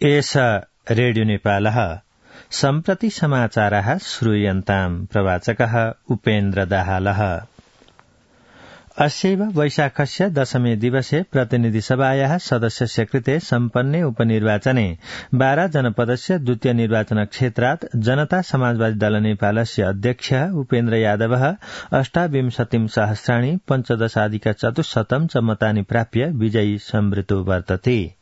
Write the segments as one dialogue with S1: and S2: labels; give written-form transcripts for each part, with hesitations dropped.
S1: एष रेडियो नेपालः सम्प्रति समाचारः श्रूयन्ताम् प्रवाचकः उपेन्द्र दाहालः। अस्यैव वैशाखस्य दशमे दिवसे प्रतिनिधिसभायाः सदस्यस्य कृते सम्पन्ने उपनिर्वाचने 12 जनपदस्य द्वितीय निर्वाचन क्षेत्रात् जनता समाजवादी दल नेपालस्य अध्यक्षः उपेन्द्र यादवः 28 सहस्राणि 15,400 च मतानि प्राप्य विजयी संवृतो वर्तते।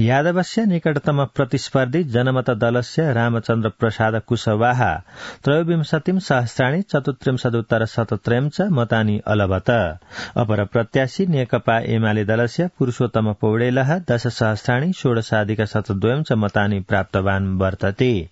S1: यादवस्य निकटतम प्रतिस्पर्धी जनमत दलस्य रामचन्द्र प्रसाद कुशवाहा 23 सहस्राणि 34,17 च मतानि अलभत। अपर प्रत्याशी नेकपा एमाले दलस्य पुरूषोत्तम पौडेलः 10 सहस्राणि 16,2 च मतानि प्राप्तवान् वर्तते।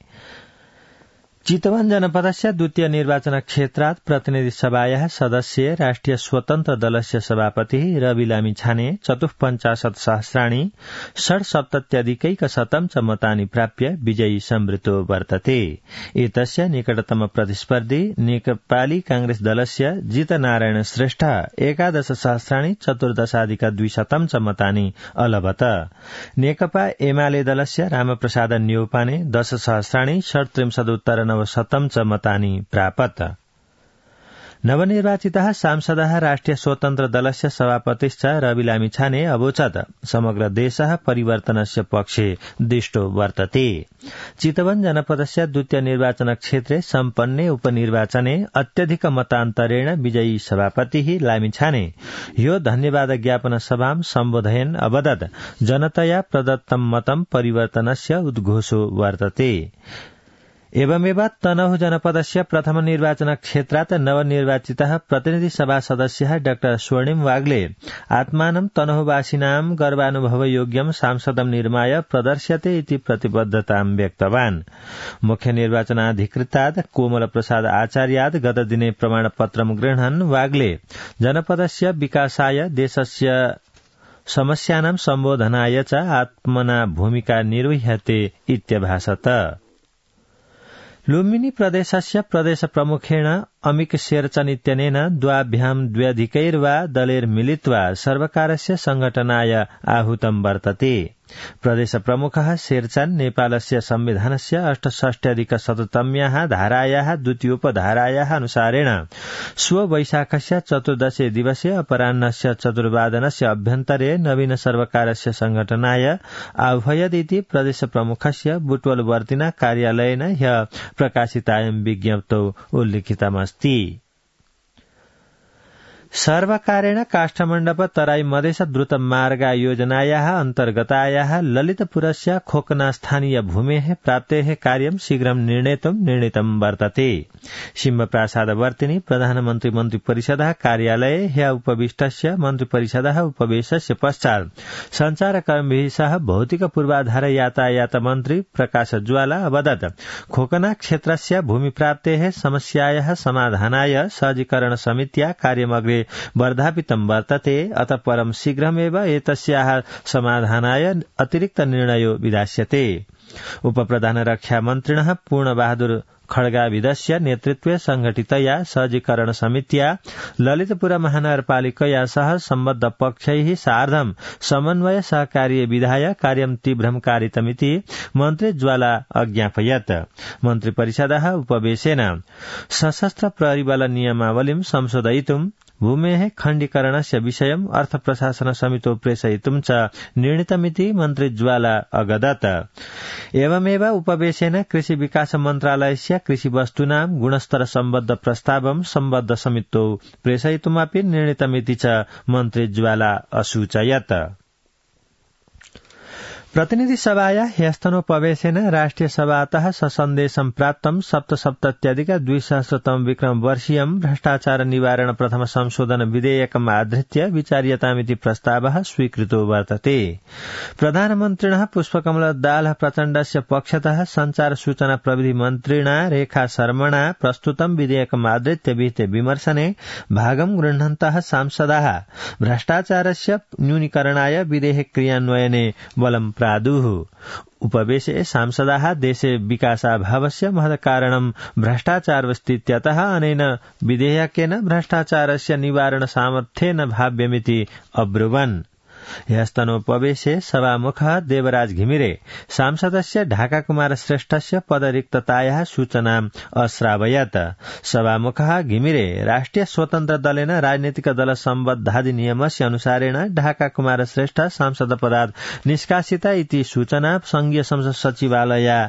S1: चितवन जनपदस्य द्वितीय निर्वाचन क्षेत्रात् प्रतिनिधि सभायाः सदस्य राष्ट्रिय स्वतन्त्र दलस्य सभापति रवि लामिछाने 54 सहस्राणि 67,100 च मतानि प्राप्य विजयी संवृतो वर्तते। एतस्य निकटतम प्रतिस्पर्धी नेपाली कांग्रेस दलस्य जितनारायण श्रेष्ठ 11 सहस्राणि 14,200 च मतानि अलभत। नेकपा एमाले दलस्य रामप्रसाद न्यौपाने 10 सहस्राणि 37,900 च मतानि प्रापत। नवनिर्वाचितः सांसदः राष्ट्रिय स्वतन्त्र दलस्य सभापतिश्च रवि लामिछाने अवोचत् समग्र देशः परिवर्तनस्य पक्षे दृष्टो वर्तते। चितवन जनपदस्य द्वितीय निर्वाचन क्षेत्रे सम्पन्ने उपनिर्वाचने अत्यधिक मतान्तरेण विजयी सभापतिः लामिछाने यो धन्यवाद ज्ञापन सभां सम्बोधयन् अवदत् जनतया प्रदत्तं मतं परिवर्तनस्य उद्घोषो वर्तते। एवमेव तनहु जनपदस्य प्रथम निर्वाचन क्षेत्रात् नवनिर्वाचितः प्रतिनिधि सभा सदस्यः डाक्टर स्वर्णिम वाग्ले आत्मानं तनहुवासिनां गर्वानुभवयोग्यं सांसदं निर्माय प्रदर्श्यते इति प्रतिबद्धतां व्यक्तवान्। मुख्य निर्वाचनाधिकृतात् कोमल प्रसाद आचार्यात् गतदिने प्रमाणपत्रं गृह्णन् वाग्ले जनपदस्य विकासाय देशस्य समस्यानां सम्बोधनाय च आत्मना भूमिका निर्वह्यते इत्यभाषत। लुम्बिनी प्रदेशस्य प्रदेश प्रमुखेण अमिक शेरचन इत्यनेन द्वाभ्यां द्व्यधिकैर्वा दलैर्मिलित्वा सर्वकारस्य संघटनाय आहूतं वर्तते। प्रदेश प्रमुखः शेरचन नेपालस्य संविधानस्य 68अधिक-100तम्याः धारायाः द्वितीयोपधारायाः अनुसारेण स्व वैशाखस्य 14 दिवसे अपराह्नस्य 4 अभ्यन्तरे नवीन सर्वकारस्य संघटनाय आह्वयदिति प्रदेश प्रमुखस्य बुटवलवर्तिना कार्यालयेन ह्यः प्रकाशितायां विज्ञप्तौ उल्लिखितमस्ति। सर्वकारेण काष्ठमण्डप तराई मधेस द्रुत मार्ग योजनायाः अन्तर्गतायाः ललितपुरस्य खोकना स्थानीय भूमेः प्राप्तेः कार्यं शीघ्रं निर्णीतं वर्तते। सिंहप्रासादवर्तिनि प्रधानमन्त्री मन्त्रिपरिषदः कार्यालये ह्यः उपविष्टस्य मन्त्रिपरिषदः उपवेशस्य पश्चात् सञ्चारकर्मिभिः सह भौतिक पूर्वाधार यातायात मन्त्री प्रकाश ज्वाला अवदत् खोकना क्षेत्रस्य भूमिप्राप्तेः समस्यायाः समाधानाय सहजीकरण समित्या कार्यमग्रे वर्धापितं वर्तते। अतः परं शीघ्रमेव एतस्याः समाधानाय अतिरिक्त निर्णयो विधास्यते। उपप्रधान रक्षा मन्त्रिणः पूर्णबहादुर खड्गाविदस्य नेतृत्वे संघटितया सहजीकरण समित्या ललितपुर महानगरपालिकया सह सम्बद्ध पक्षैः सार्धं समन्वय सहकार्य विधाय कार्यं तीव्रं कारितमिति मन्त्री ज्वाला अज्ञापयत्। मन्त्रिपरिषदः उपवेशेन सशस्त्र प्रहरीबल नियमावलीं संशोधयितुं भूमेः खण्डीकरणस्य विषयम् अर्थ प्रशासन समितो प्रेषयितुं च निर्णीतमिति मन्त्री ज्वाला अगदत्। एवमेव उपवेशेन कृषि विकास मन्त्रालयस्य कृषि वस्तूनां गुणस्तर सम्बद्ध प्रस्तावं सम्बद्ध समितौ प्रेषयितुमपि निर्णीतमिति च मन्त्री ज्वाला असूचयत्। प्रतिनिधि सभाया ह्यस्तनोपवेशेन राष्ट्रिय सभातः ससन्देशं प्राप्तं 77,200तम विक्रम वर्षीयं भ्रष्टाचार निवारण प्रथम संशोधन विधेयकम् आधृत्य विचार्यतामिति प्रस्तावः स्वीकृतो वर्तते। प्रधानमन्त्रिणः पुष्पकमल दाहाल प्रचण्डस्य पक्षतः संचार सूचना प्रविधि मन्त्रिणा रेखा शर्मणा प्रस्तुतं विधेयकम् आधृत्य विहिते विमर्शने भागं गृह्णन्तः सांसदाः भ्रष्टाचारस्य न्यूनीकरणाय विधेयक क्रियान्वयने बलं प्रादुः। उपवेशे सांसदाः देशे विकासाभावस्य महत्कारणं भ्रष्टाचारस्तीत्यतः अनेन विधेयकेन भ्रष्टाचारस्य निवारण सामर्थ्येन भाव्यमिति अब्रुवन्। ह्यस्तनोपवेशे सभामुखः देवराज घिमिरे सांसदस्य ढाका कुमार श्रेष्ठस्य पदरिक्ततायाः सूचनाम् अश्रावयत्। सभामुखः घिमिरे राष्ट्रिय स्वतन्त्र दलेन राजनीतिक दल सम्बद्धाधिनियमस्य अनुसारेण ढाका कुमार श्रेष्ठ सांसद पदात् निष्कासिता इति सूचना संघीय संसद सचिवालयाय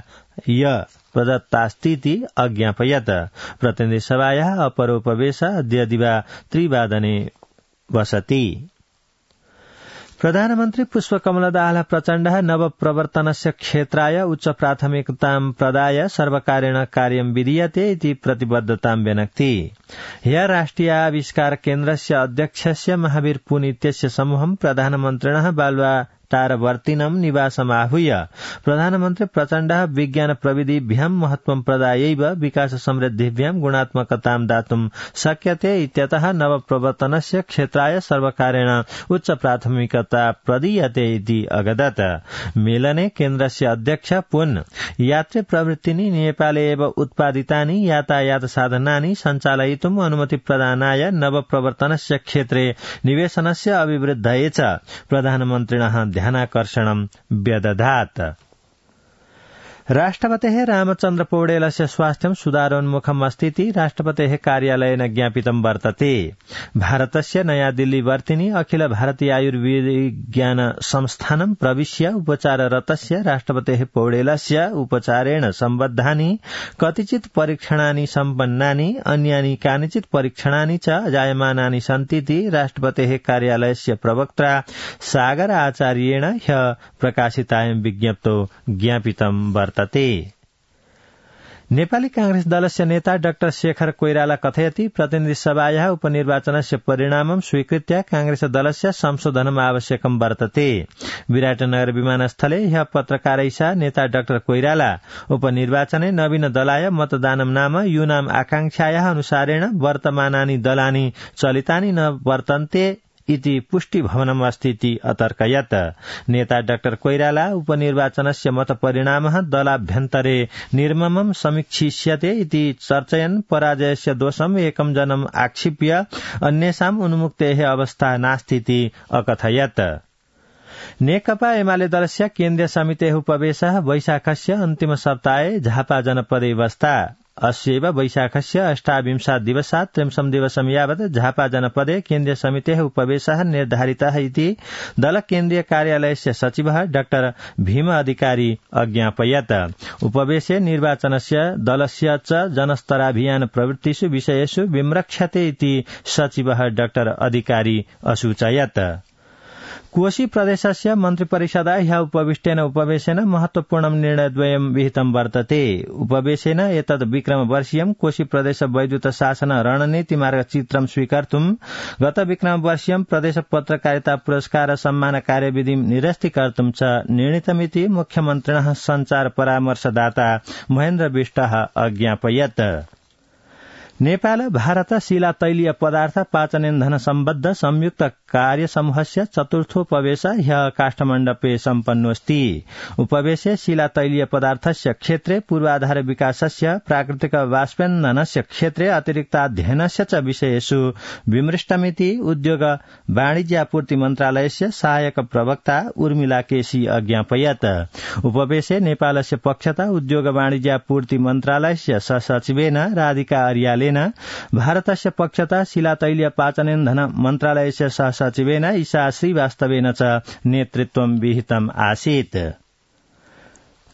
S1: प्रदत्तास्तीति अज्ञापयत्। प्रतिनिधि सभायाः अपरोपवेश अद्य दिवा 3 वसति। प्रधानमन्त्री पुष्पकमलदाहः प्रचण्डः नवप्रवर्तनस्य क्षेत्राय उच्च प्राथमिकतां प्रदाय सर्वकारेण कार्यं विधीयते इति प्रतिबद्धतां व्यनक्ति। ह्यः राष्ट्रिय आविष्कार केन्द्रस्य अध्यक्षस्य महावीर पुन इत्यस्य समूहं प्रधानमन्त्रिणः बालुवाटारवर्तिनं निवासमाहूय प्रधानमन्त्री प्रचण्डः विज्ञान प्रविधिभ्यां महत्वं प्रदायैव विकास समृद्धिभ्यां गुणात्मकतां दातुं शक्यते इत्यतः नवप्रवर्तनस्य क्षेत्राय सर्वकारेण उच्च प्राथमिकता प्रदीयते इति अगदत्। मेलने केन्द्रस्य अध्यक्ष पुन यात्री प्रवृत्तिनि नेपाले एव उत्पादितानि यातायात साधनानि सञ्चालयितुम् अनुमति प्रदानाय नवप्रवर्तनस्य क्षेत्रे निवेशनस्य अभिवृद्धये च प्रधानमन्त्रिणः ध्यानाकर्षणं व्यदधात्। राष्ट्रपतेः रामचन्द्र पौडेलस्य स्वास्थ्यं सुधारोन्मुखम् अस्तीति राष्ट्रपतेः कार्यालयेन ज्ञापितं वर्तते। भारतस्य नयाँ दिल्ली वर्तिनि अखिल भारतीय आयुर्विज्ञान संस्थानं प्रविश्य उपचाररतस्य राष्ट्रपतेः पौडेलस्य उपचारेण सम्बद्धानि कतिचित् परीक्षणानि सम्पन्नानि अन्यानि कानिचित् परीक्षणानि च जायमानानि सन्तीति राष्ट्रपतेः कार्यालयस्य प्रवक्ता सागर आचार्येण ह्यः प्रकाशितायां विज्ञप्तौ ज्ञापितं वर्तते। नेपाली कांग्रेस दलस्य नेता डाक्टर शेखर कोइराला कथयति प्रतिनिधि सभायाः उपनिर्वाचनस्य परिणामं स्वीकृत्य कांग्रेस दलस्य संशोधनम् आवश्यकं वर्तते। विराटनगर विमानस्थले ह्यः पत्रकारैः सह नेता डाक्टर कोइराला उपनिर्वाचने नवीन दलाय मतदानं नाम यूनाम् आकांक्षायाः अनुसारेण वर्तमानानि दलानि चलितानि न वर्तन्ते इति पुष्टि भवनम् अस्तीति अतर्कयत्। नेता डाक्टर कोइराला उपनिर्वाचनस्य मतपरिणामः दलाभ्यन्तरे निर्ममं समीक्षिष्यते इति चर्चयन् पराजयस्य दोषम् एकं जनम् आक्षिप्य अन्येषाम् उन्मुक्तेः अवस्था नास्तीति अकथयत्। नेकपा एमाले दलस्य केन्द्रीय समितेः उपवेशः वैशाखस्य अन्तिम सप्ताहे झापा जनपदे बस्ता। अस्यैव वैशाखस्य 28 दिवसात् 30 दिवसं यावत् झापा जनपदे केन्द्रीय समितेः उपवेशः निर्धारितः इति दल केन्द्रीय कार्यालयस्य सचिवः डाक्टर भीम अधिकारी अज्ञापयत्। उपवेशे निर्वाचनस्य दलस्य च जनस्तराभियान प्रवृत्तिषु विषयेषु विम्रक्ष्यते इति सचिवः डाक्टर अधिकारी असूचयत्। कोशी प्रदेशस्य मन्त्रिपरिषदा ह्यः उपविष्टेन उपवेशेन महत्वपूर्णं निर्णयद्वयं विहितं वर्तते। उपवेशेन एतद् विक्रमवर्षीयं कोशी प्रदेश वैद्युत शासन रणनीतिमार्गचित्रं स्वीकर्तुं गत विक्रमवर्षीयं प्रदेश पत्रकारिता पुरस्कार सम्मान कार्यविधिं निरस्तीकर्तुं च निर्णीतमिति मुख्यमन्त्रिणः सञ्चार परामर्शदाता महेन्द्र बिष्टः अज्ञापयत्। नेपाल भारत शिला तैलीय पदार्थ पाचनेन्धन सम्बद्ध संयुक्त कार्य समूहस्य चतुर्थोपवेश ह्यः काष्ठमण्डपे सम्पन्नोऽस्ति। उपवेशे शिला तैलीय पदार्थस्य क्षेत्रे पूर्वाधार विकासस्य प्राकृतिक वाष्पेन्धनस्य क्षेत्रे अतिरिक्ताध्ययनस्य च विषयेषु विमृष्टमिति उद्योग वाणिज्यापूर्ति मन्त्रालयस्य सहायक प्रवक्ता उर्मिला केसी अज्ञापयत्। उपवेशे नेपालस्य पक्षतः उद्योग वाणिज्यापूर्ति मन्त्रालयस्य सहसचिवेन राधिका अर्यालेन भारतस्य पक्षतः शिला तैलीय पाचनेन्धन मन्त्रालयस्य सहसचिवेन ईशा श्रीवास्तवेन च नेतृत्वं विहितम् आसीत्।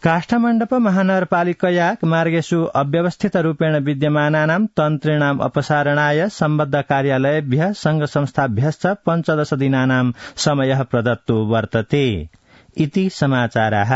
S1: काष्ठमण्डप महानगरपालिकया मार्गेषु अव्यवस्थितरूपेण विद्यमानानां तन्त्रीणाम् अपसारणाय सम्बद्ध कार्यालयेभ्यः संघ संस्थाभ्यश्च 15 दिनानां समयः प्रदत्तो वर्तते इति समाचाराः।